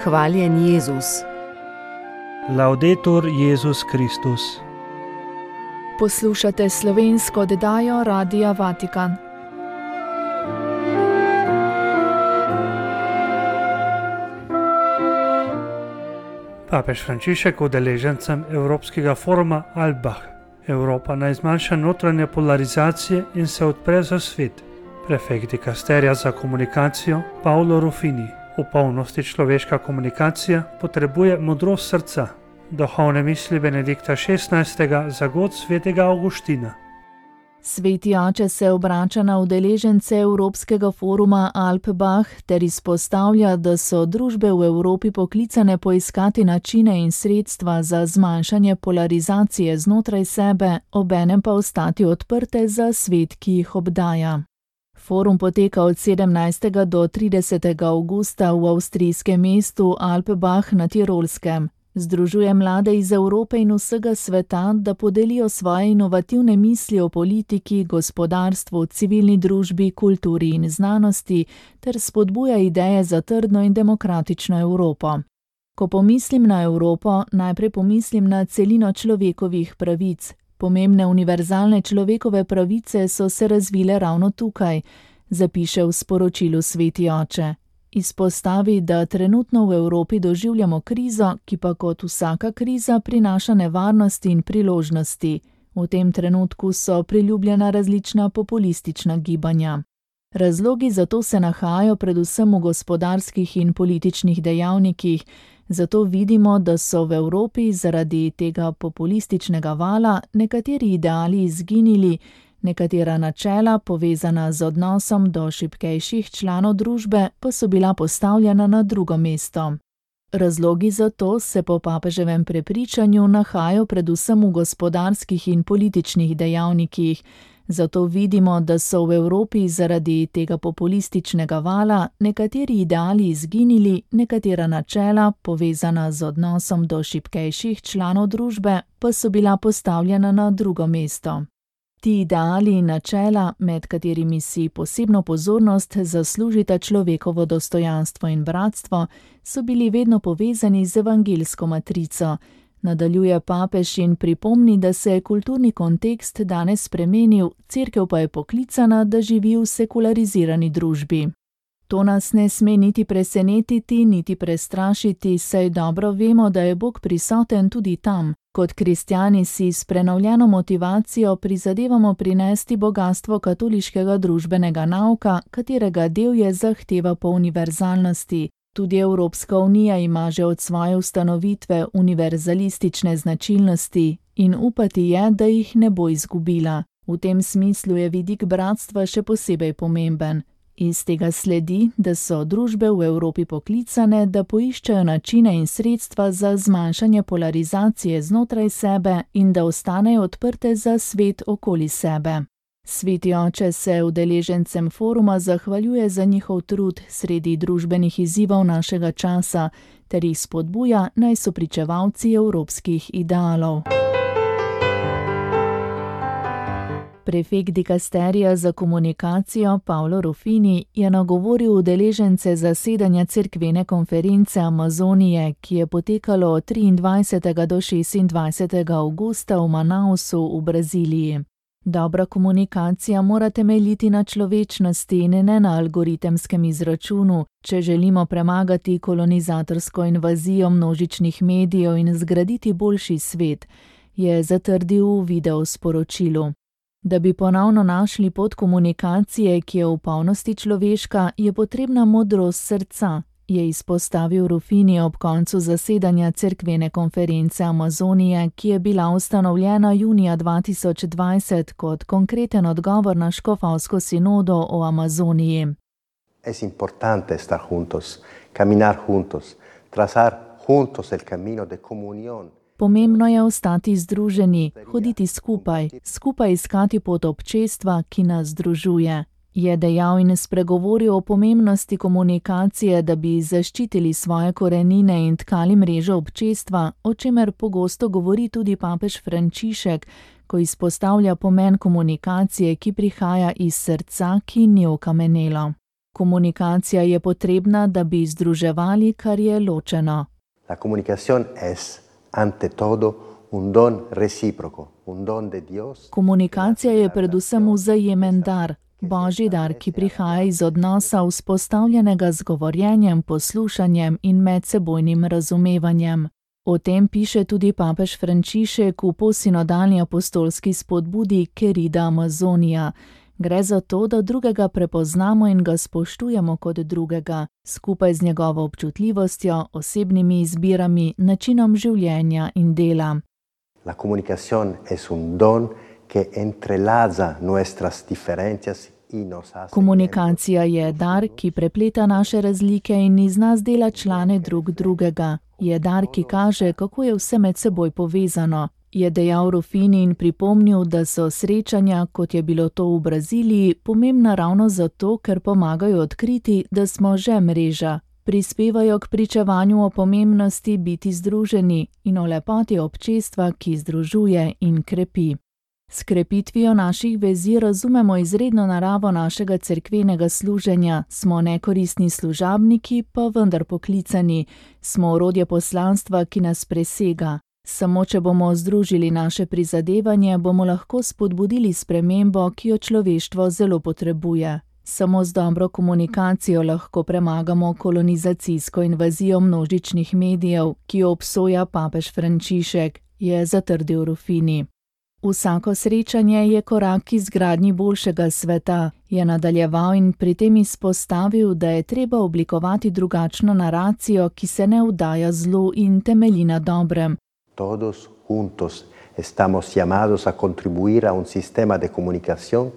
Hvaljen Jezus. Laudetur Jezus Kristus. Poslušate slovensko oddajo Radia Vatikan. Papež Frančišek udeležencem Evropskega foruma Alpbach. Evropa naj zmanjša notranje polarizacije in se odpre za svet. Prefekt dikasterija za komunikacijo Paolo Ruffini. V polnosti človeška komunikacija potrebuje modrost srca. Duhovne misli Benedikta XVI. Za god svetega Avguština. Sveti oče se obrača na udeležence Evropskega foruma Alpbach ter izpostavlja, da so družbe v Evropi poklicane poiskati načine in sredstva za zmanjšanje polarizacije znotraj sebe, obenem pa ostati odprte za svet, ki jih obdaja. Forum poteka od 17. do 30. avgusta v avstrijskem mestu Alpbach na Tirolskem. Združuje mlade iz Evrope in vsega sveta, da podelijo svoje inovativne misli o politiki, gospodarstvu, civilni družbi, kulturi in znanosti ter spodbuja ideje za trdno in demokratično Evropo. Ko pomislim na Evropo, najprej pomislim na celino človekovih pravic. Pomembne univerzalne človekove pravice so se razvile ravno tukaj, zapiše v sporočilu sveti oče. Izpostavi, da trenutno v Evropi doživljamo krizo, ki pa kot vsaka kriza prinaša nevarnosti in priložnosti. V tem trenutku so priljubljena različna populistična gibanja. Razlogi za to se nahajajo predvsem v gospodarskih in političnih dejavnikih, zato vidimo, da so v Evropi zaradi tega populističnega vala nekateri ideali izginili, nekatera načela, povezana z odnosom do šibkejših članov družbe, pa so bila postavljena na drugo mesto. Razlogi za to se po papeževem prepričanju nahajajo predvsem v gospodarskih in političnih dejavnikih, zato vidimo, da so v Evropi zaradi tega populističnega vala nekateri ideali izginili, nekatera načela, povezana z odnosom do šibkejših članov družbe, pa so bila postavljena na drugo mesto. Ti ideali in načela, med katerimi si posebno pozornost zaslužita človekovo dostojanstvo in bratstvo, so bili vedno povezani z evangeljsko matrico. Nadaljuje papež in pripomni, da se je kulturni kontekst danes spremenil, cerkev pa je poklicana, da živi v sekularizirani družbi. To nas ne sme niti presenetiti, niti prestrašiti, saj dobro vemo, da je Bog prisoten tudi tam. Kot kristjani si s prenovljeno motivacijo prizadevamo prinesti bogastvo katoliškega družbenega nauka, katerega del je zahteva po univerzalnosti. Tudi Evropska unija ima že od svoje ustanovitve univerzalistične značilnosti in upati je, da jih ne bo izgubila. V tem smislu je vidik bratstva še posebej pomemben. Iz tega sledi, da so družbe v Evropi poklicane, da poiščejo načine in sredstva za zmanjšanje polarizacije znotraj sebe in da ostanejo odprte za svet okoli sebe. Sveti oče se udeležencem foruma zahvaljuje za njihov trud sredi družbenih izzivov našega časa ter jih spodbuja, naj so pričevalci evropskih idealov. Prefekt dikasterija za komunikacijo Paolo Ruffini je nagovoril udeležence zasedanja cerkvene konference Amazonije, ki je potekalo od 23. do 26. avgusta v Manausu v Braziliji. Dobra komunikacija mora temeljiti na človečnosti in ne na algoritemskem izračunu, če želimo premagati kolonizatorsko invazijo množičnih medijev in zgraditi boljši svet, je zatrdil v video sporočilu. Da bi ponovno našli pot komunikacije, ki je v polnosti človeška, je potrebna modrost srca, je izpostavil Ruffini ob koncu zasedanja cerkvene konference Amazonije, ki je bila ustanovljena junija 2020 kot konkreten odgovor na škofovsko sinodo o Amazoniji. Es importante estar juntos, caminar juntos, trazar juntos el camino de comunión. Pomembno je ostati združeni, hoditi skupaj iskati pot občestva, ki nas združuje. Je dejal in spregovoril o pomembnosti komunikacije, da bi zaščitili svoje korenine in tkali mrežo občestva, o čemer pogosto govori tudi papež Frančišek, ko izpostavlja pomen komunikacije, ki prihaja iz srca, ki ni okamenelo. Komunikacija je potrebna, da bi združevali, kar je ločeno. La comunicación es ante todo un don recíproco, un don de Dios. Komunikacija je predvsem vzajemen dar, božji dar, ki prihaja iz odnosa vzpostavljenega z govorjenjem, poslušanjem in medsebojnim razumevanjem. O tem piše tudi papež Frančišek v posinodalni apostolski spodbudi Querida Amazonia. Gre za to, da drugega prepoznamo in ga spoštujemo kot drugega, skupaj z njegovo občutljivostjo, osebnimi izbirami, načinom življenja in dela. La comunicación es un don que entrelaza nuestras diferencias y nos hace. Komunikacija je dar, ki prepleta naše razlike in iz nas dela člane drug drugega. Je dar, ki kaže, kako je vse med seboj povezano. Je dejal Ruffini in pripomnil, da so srečanja, kot je bilo to v Braziliji, pomembna ravno zato, ker pomagajo odkriti, da smo že mreža. Prispevajo k pričevanju o pomembnosti biti združeni in o lepoti občestva, ki združuje in krepi. S krepitvijo naših vezi razumemo izredno naravo našega cerkvenega služenja, smo nekoristni služabniki, pa vendar poklicani, smo orodje poslanstva, ki nas presega. Samo če bomo združili naše prizadevanje, bomo lahko spodbudili spremembo, ki jo človeštvo zelo potrebuje. Samo z dobro komunikacijo lahko premagamo kolonizacijsko invazijo množičnih medijev, ki jo obsoja papež Frančišek, je zatrdil Ruffini. Vsako srečanje je korak k izgradnji boljšega sveta, je nadaljeval in pri tem izpostavil, da je treba oblikovati drugačno naracijo, ki se ne vdaja zlu in temelji na dobrem. Todos juntos estamos llamados a contribuir a un sistema de comunicación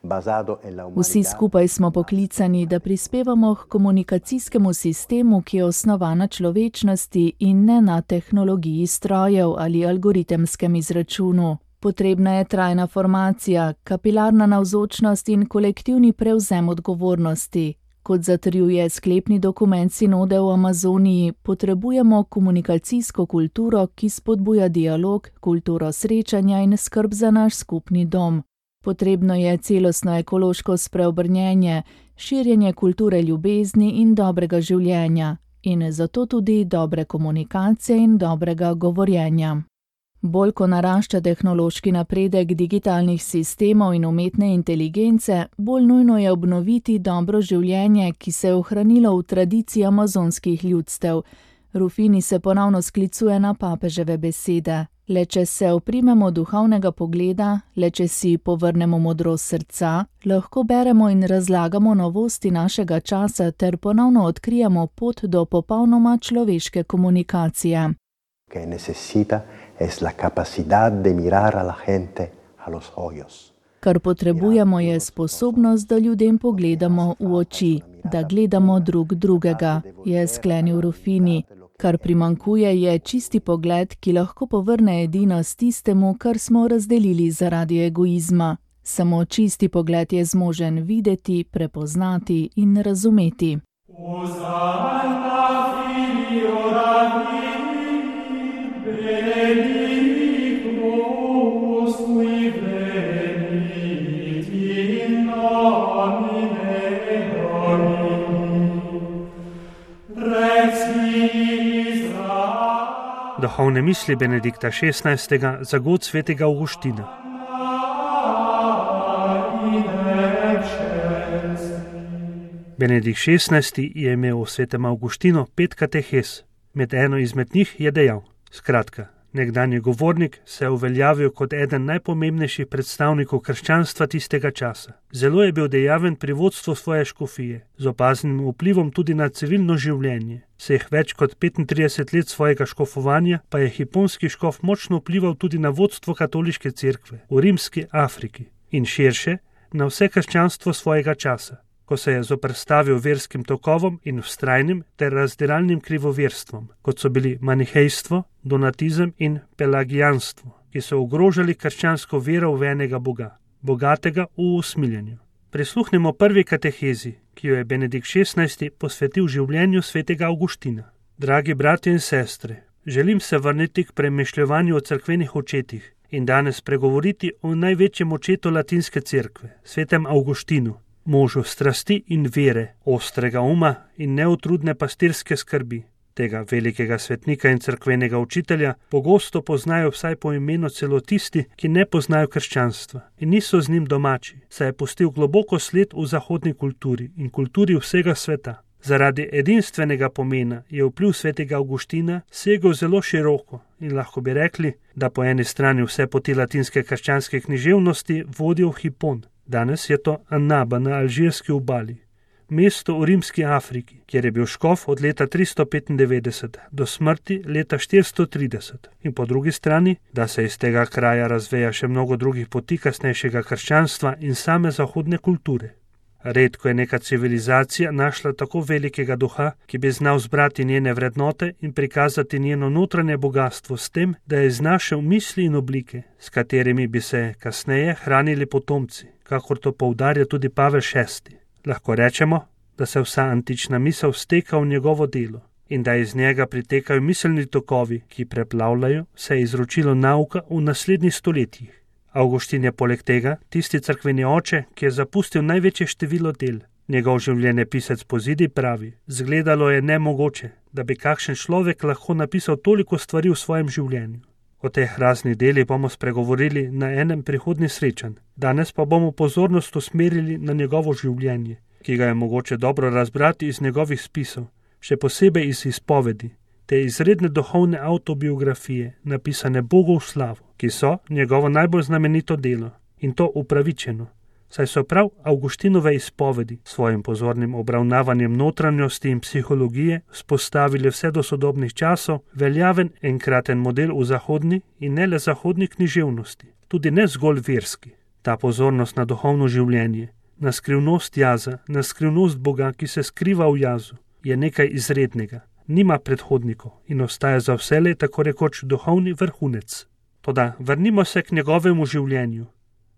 basado en la humanidad. Vsi skupaj smo poklicani, da prispevamo k komunikacijskemu sistemu, ki je osnovan na človečnosti in ne na tehnologiji strojev ali algoritemskem izračunu. Potrebna je trajna formacija, kapilarna navzočnost in kolektivni prevzem odgovornosti. Kot zatrjuje sklepni dokument sinode v Amazoniji, potrebujemo komunikacijsko kulturo, ki spodbuja dialog, kulturo srečanja in skrb za naš skupni dom. Potrebno je celostno ekološko spreobrnjenje, širjenje kulture ljubezni in dobrega življenja, in zato tudi dobre komunikacije in dobrega govorjenja. Bolj ko narašča tehnološki napredek digitalnih sistemov in umetne inteligence, bolj nujno je obnoviti dobro življenje, ki se je ohranilo v tradiciji amazonskih ljudstev. Ruffini se ponovno sklicuje na papeževe besede. Le če se oprimemo duhovnega pogleda, le če si povrnemo modrost srca, lahko beremo in razlagamo novosti našega časa ter ponovno odkrijemo pot do popolnoma človeške komunikacije. Que necesita es la capacidad de mirar a la gente a los ojos. Kar potrebujemo je sposobnost, da ljudem pogledamo v oči, da gledamo drug drugega, je sklenil Ruffini. Kar primanjkuje je čisti pogled, ki lahko povrne edinost tistemu, kar smo razdelili zaradi egoizma. Samo čisti pogled je zmožen videti, prepoznati in razumeti. Duhovne misli Benedikta XVI. Za god svetega Avguština. Benedikt XVI. Je imel v svetem Avguštinu 5 katehes. Med eno izmed njih je dejal: skratka, nekdanji govornik se je uveljavil kot eden najpomembnejših predstavnikov krščanstva tistega časa. Zelo je bil dejaven pri vodstvu svoje škofije, z opaznim vplivom tudi na civilno življenje. Vseh več kot 35 let svojega škofovanja pa je hiponski škof močno vplival tudi na vodstvo katoliške cerkve v rimski Afriki in širše na vse krščanstvo svojega časa, ko se je zoperstavil verskim tokovom in vztrajnim ter razdiralnim krivoverstvom, kot so bili manihejstvo, donatizem in pelagijanstvo, ki so ogrožali krščansko vero v enega Boga, bogatega v usmiljenju. Prisluhnemo prvi katehezi, ki jo je Benedikt XVI. Posvetil življenju svetega Avguština. Dragi bratje in sestre, želim se vrniti k premišljevanju o cerkvenih očetih in danes pregovoriti o največjem očetu latinske cerkve, svetem Avguštinu. možu strasti in vere, ostrega uma in neutrudne pastirske skrbi. Tega velikega svetnika in cerkvenega učitelja pogosto poznajo vsaj po imenu celo tisti, ki ne poznajo krščanstva in niso z njim domači, saj je pustil globoko sled v zahodni kulturi in kulturi vsega sveta. Zaradi edinstvenega pomena je vpliv svetega Avguština segel zelo široko in lahko bi rekli, da po eni strani vse poti latinske krščanske književnosti vodijo v Hipon. Danes je to Annaba na alžirski obali, mesto v rimski Afriki, kjer je bil škof od leta 395 do smrti leta 430. In po drugi strani, da se iz tega kraja razveja še mnogo drugih poti kasnejšega krščanstva in same zahodne kulture. Redko je neka civilizacija našla tako velikega duha, ki bi znal zbrati njene vrednote in prikazati njeno notranje bogatstvo s tem, da je znašel misli in oblike, s katerimi bi se kasneje hranili potomci, kakor to poudarja tudi Pavel VI. Lahko rečemo, da se vsa antična misel steka v njegovo delo in da iz njega pritekajo miselni tokovi, ki preplavljajo vse izročilo nauka v naslednjih stoletjih. Avguštin je poleg tega tisti cerkveni oče, ki je zapustil največje število del. Njegov življenjepisec po zidi pravi: zgledalo je nemogoče, da bi kakšen človek lahko napisal toliko stvari v svojem življenju. O teh raznih delih bomo spregovorili na enem prihodnjih srečanj. Danes pa bomo pozornost usmerili na njegovo življenje, ki ga je mogoče dobro razbrati iz njegovih spisov, še posebej iz izpovedi, te izredne duhovne avtobiografije, napisane Bogu v slavo, ki so njegovo najbolj znamenito delo, in to upravičeno, saj so prav Avguštinove izpovedi s svojim pozornim obravnavanjem notranjosti in psihologije vzpostavili vse do sodobnih časov veljaven enkraten model v zahodni in ne le zahodni književnosti, tudi ne zgolj verski. Ta pozornost na duhovno življenje, na skrivnost jaza, na skrivnost Boga, ki se skriva v jazu, je nekaj izrednega, nima predhodnikov in ostaja za vselej tako rekoč duhovni vrhunec. Toda vrnimo se k njegovemu življenju.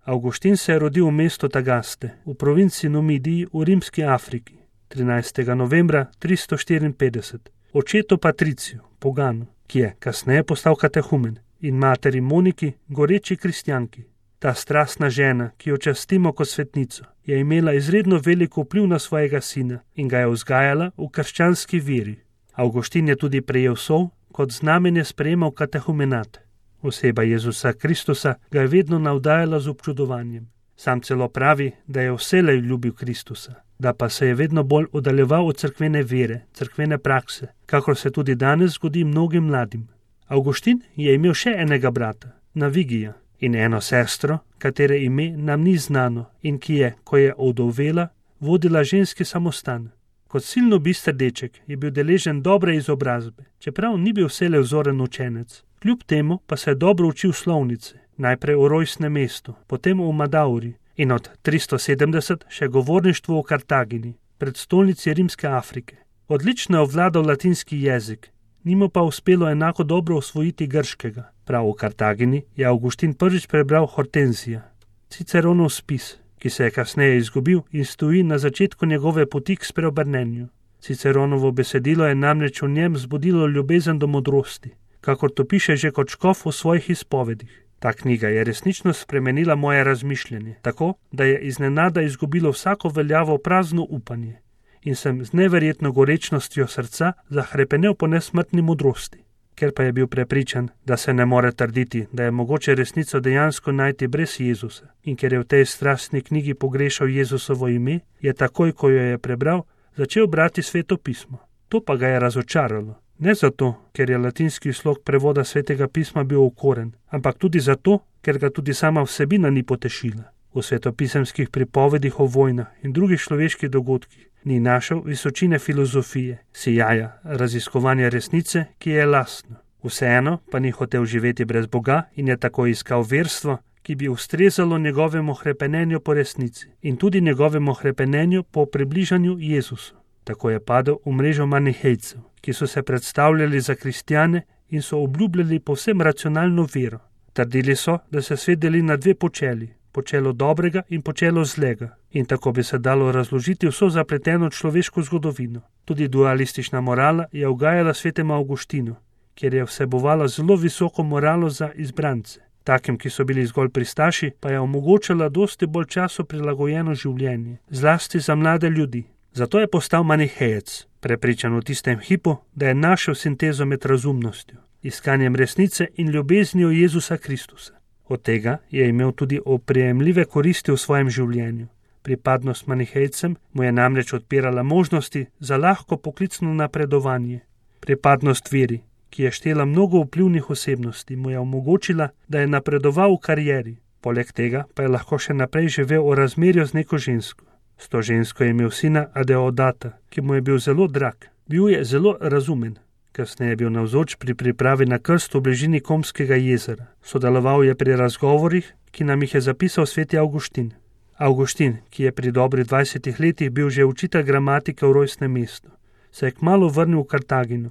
Avguštin se je rodil v mestu Tagaste, v provinci Numidiji v rimski Afriki, 13. novembra 354, očetu Patriciju, poganu, ki je kasneje postal katehumen, in materi Moniki, goreči kristjanki. Ta strastna žena, ki jo častimo kot svetnico, je imela izredno veliko vpliv na svojega sina in ga je vzgajala v krščanski veri. Avguštin je tudi prejel sol, kot znamenje sprejemal katehumenat. Oseba Jezusa Kristusa ga je vedno navdajala z občudovanjem. Sam celo pravi, da je vselej ljubil Kristusa, da pa se je vedno bolj oddaljeval od cerkvene vere, cerkvene prakse, kakor se tudi danes zgodi mnogim mladim. Avguštin je imel še enega brata, Navigija, in eno sestro, katere ime nam ni znano in ki je, ko je ovdovela, vodila ženski samostan. Kot silno bister deček je bil deležen dobre izobrazbe, čeprav ni bil vselej vzoren učenec. Kljub temu pa se je dobro učil slovnice, najprej v rojstnem mestu, potem v Madauri in od 370 še govorništvo v Kartagini, predstolnici rimske Afrike. Odlično je obvladal latinski jezik, ni mu pa uspelo enako dobro osvojiti grškega. Prav v Kartagini je Avguštin prvič prebral Hortenzija, Ciceronov spis, ki se je kasneje izgubil in stoji na začetku njegove poti k spreobrnenju. Ciceronovo besedilo je namreč v njem zbudilo ljubezen do modrosti, kakor to piše že kot škof v svojih izpovedih. Ta knjiga je resnično spremenila moje razmišljanje, tako, da je iznenada izgubilo vsako veljavo prazno upanje in sem z neverjetno gorečnostjo srca zahrepenel po nesmrtni modrosti. Ker pa je bil prepričan, da se ne more trditi, da je mogoče resnico dejansko najti brez Jezusa in ker je v tej strastni knjigi pogrešal Jezusovo ime, je takoj, ko jo je prebral, začel brati Sveto pismo. To pa ga je razočaralo. Ne zato, ker je latinski slog prevoda Svetega pisma bil okoren, ampak tudi zato, ker ga tudi sama vsebina ni potešila. V svetopisemskih pripovedih o vojnah in drugih človeških dogodkih ni našel visočine filozofije, sijaja, raziskovanja resnice, ki je lastno. Vseeno pa ni hotel živeti brez Boga in je tako iskal verstvo, ki bi ustrezalo njegovemu hrepenenju po resnici in tudi njegovemu hrepenenju po približanju Jezusu. Tako je padel v mrežo manihejcev, ki so se predstavljali za kristjane in so obljubljali povsem racionalno vero. Trdili so, da se svet deli na dve počeli, počelo dobrega in počelo zlega, in tako bi se dalo razložiti vso zapleteno človeško zgodovino. Tudi dualistična morala je ugajala svetemu Avguštinu, kjer je vsebovala zelo visoko moralo za izbrance. Takim, ki so bili zgolj pristaši, pa je omogočala dosti bolj času prilagojeno življenje, zlasti za mlade ljudi. Zato je postal manihejec, prepričan v tistem hipu, da je našel sintezo med razumnostjo, iskanjem resnice in ljubeznijo Jezusa Kristusa. Od tega je imel tudi oprijemljive koristi v svojem življenju. Pripadnost manihejcem mu je namreč odpirala možnosti za lahko poklicno napredovanje. Pripadnost veri, ki je štela mnogo vplivnih osebnosti, mu je omogočila, da je napredoval v karieri. Poleg tega pa je lahko še naprej živel v razmerju z neko žensko. S to žensko je imel sina Adeodata, ki mu je bil zelo drag. Bil je zelo razumen. Kasneje je bil navzoč pri pripravi na krst v bližini Komskega jezera. Sodeloval je pri razgovorih, ki nam jih je zapisal sveti Avguštin. Avguštin, ki je pri dobrih 20 letih bil že učitelj gramatike v rojstnem mestu, se je kmalu vrnil v Kartagino,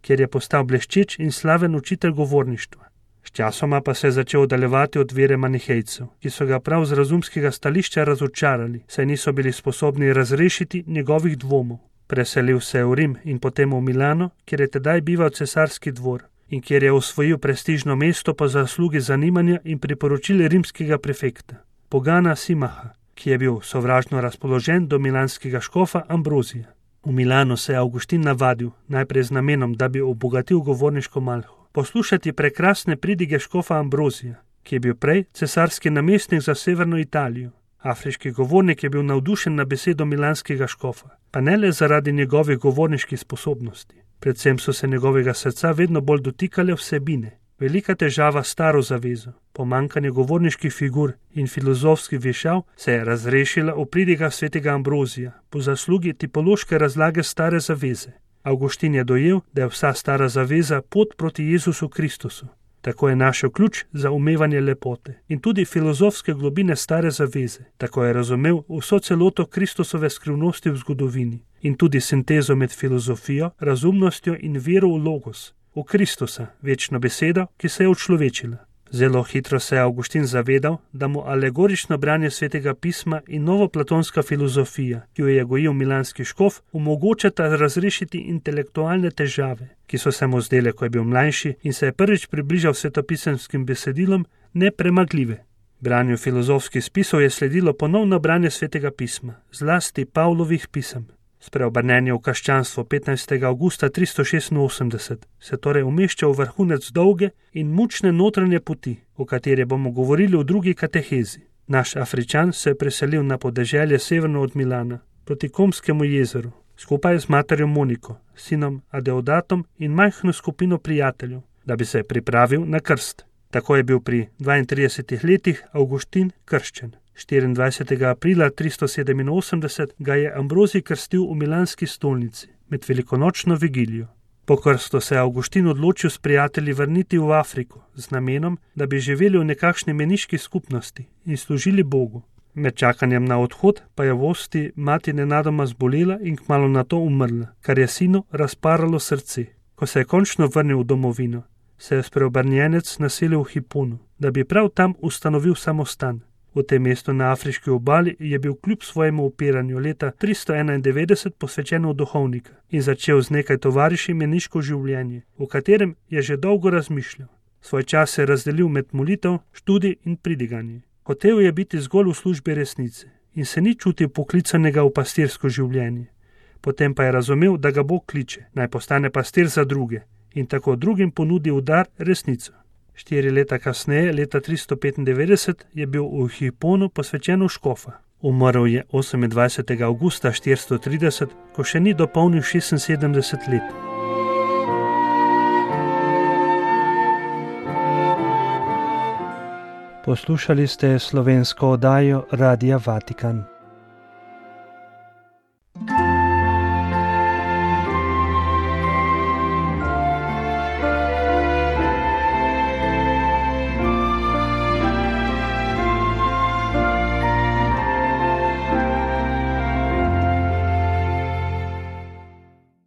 kjer je postal bleščeč in slaven učitelj govorništva. Sčasoma pa se je začel oddaljevati od vere manihejcev, ki so ga prav z razumskega stališča razočarali, saj niso bili sposobni razrešiti njegovih dvomov. Preselil se je v Rim in potem v Milano, kjer je tedaj bival cesarski dvor in kjer je osvojil prestižno mesto po zaslugi zanimanja in priporočil rimskega prefekta, Pogana Simaha, ki je bil sovražno razpoložen do milanskega škofa Ambrozija. V Milanu se je Avguštin navadil, najprej z namenom, da bi obogatil govorniško malho, poslušati prekrasne pridige škofa Ambrozija, ki je bil prej cesarski namestnik za severno Italijo. Afriški govornik je bil navdušen na besedo milanskega škofa, pa ne le zaradi njegovih govorniških sposobnosti. Predvsem so se njegovega srca vedno bolj dotikale vsebine. Velika težava s staro zavezo, pomanjkanje govorniških figur in filozofskih vešav se je razrešila v pridigah svetega Ambrozija po zaslugi tipološke razlage stare zaveze. Avguštin je dojel, da je vsa stara zaveza pot proti Jezusu Kristusu. Tako je našel ključ za umevanje lepote in tudi filozofske globine stare zaveze. Tako je razumel vso celoto Kristusove skrivnosti v zgodovini in tudi sintezo med filozofijo, razumnostjo in vero v logos, v Kristusa, večno besedo, ki se je učlovečila. Zelo hitro se je Avguštin zavedal, da mu alegorično branje svetega pisma in novoplatonska filozofija, ki jo je gojil milanski škof, omogočata razrešiti intelektualne težave, ki so se mu zdele, ko je bil mlajši in se je prvič približal svetopisenskim besedilom, nepremagljive. Branju filozofskih spisov je sledilo ponovno branje svetega pisma, zlasti Pavlovih pisem. Spreobrnenje v krščanstvo 15. avgusta 386 se torej umešča v vrhunec dolge in mučne notranje poti, o kateri bomo govorili v drugi katehezi. Naš Afričan se je preselil na podeželje severno od Milana, proti Komskemu jezeru, skupaj z materjo Moniko, sinom Adeodatom in majhno skupino prijateljev, da bi se pripravil na krst. Tako je bil pri 32 letih Avguštin krščen. 24. aprila 387 ga je Ambrozij krstil v milanski stolnici med velikonočno vigilijo. Po krstu se je Avguštin odločil s prijatelji vrniti v Afriko z namenom, da bi živeli v nekakšni meniški skupnosti in služili Bogu. Med čakanjem na odhod pa je v Osti mati nenadoma zbolela in kmalu nato umrla, kar je sinu razparalo srce. Ko se je končno vrnil v domovino, se je spreobrnjenec naselil v Hiponu, da bi prav tam ustanovil samostan. V tem mestu na afriški obali je bil kljub svojemu upiranju leta 391 posvečen v duhovnika in začel z nekaj tovariši meniško življenje, v katerem je že dolgo razmišljal. Svoj čas je razdelil med molitev, študij in pridiganje. Hotel je biti zgolj v službi resnice in se ni čutil poklicanega v pastirsko življenje. Potem pa je razumel, da ga Bog kliče, naj postane pastir za druge in tako drugim ponudi v dar resnico. 4 leta kasneje, leta 395, je bil v Hiponu posvečen v škofa. Umrl je 28. avgusta 430, ko še ni dopolnil 76 let. Poslušali ste slovensko oddajo Radia Vatikan.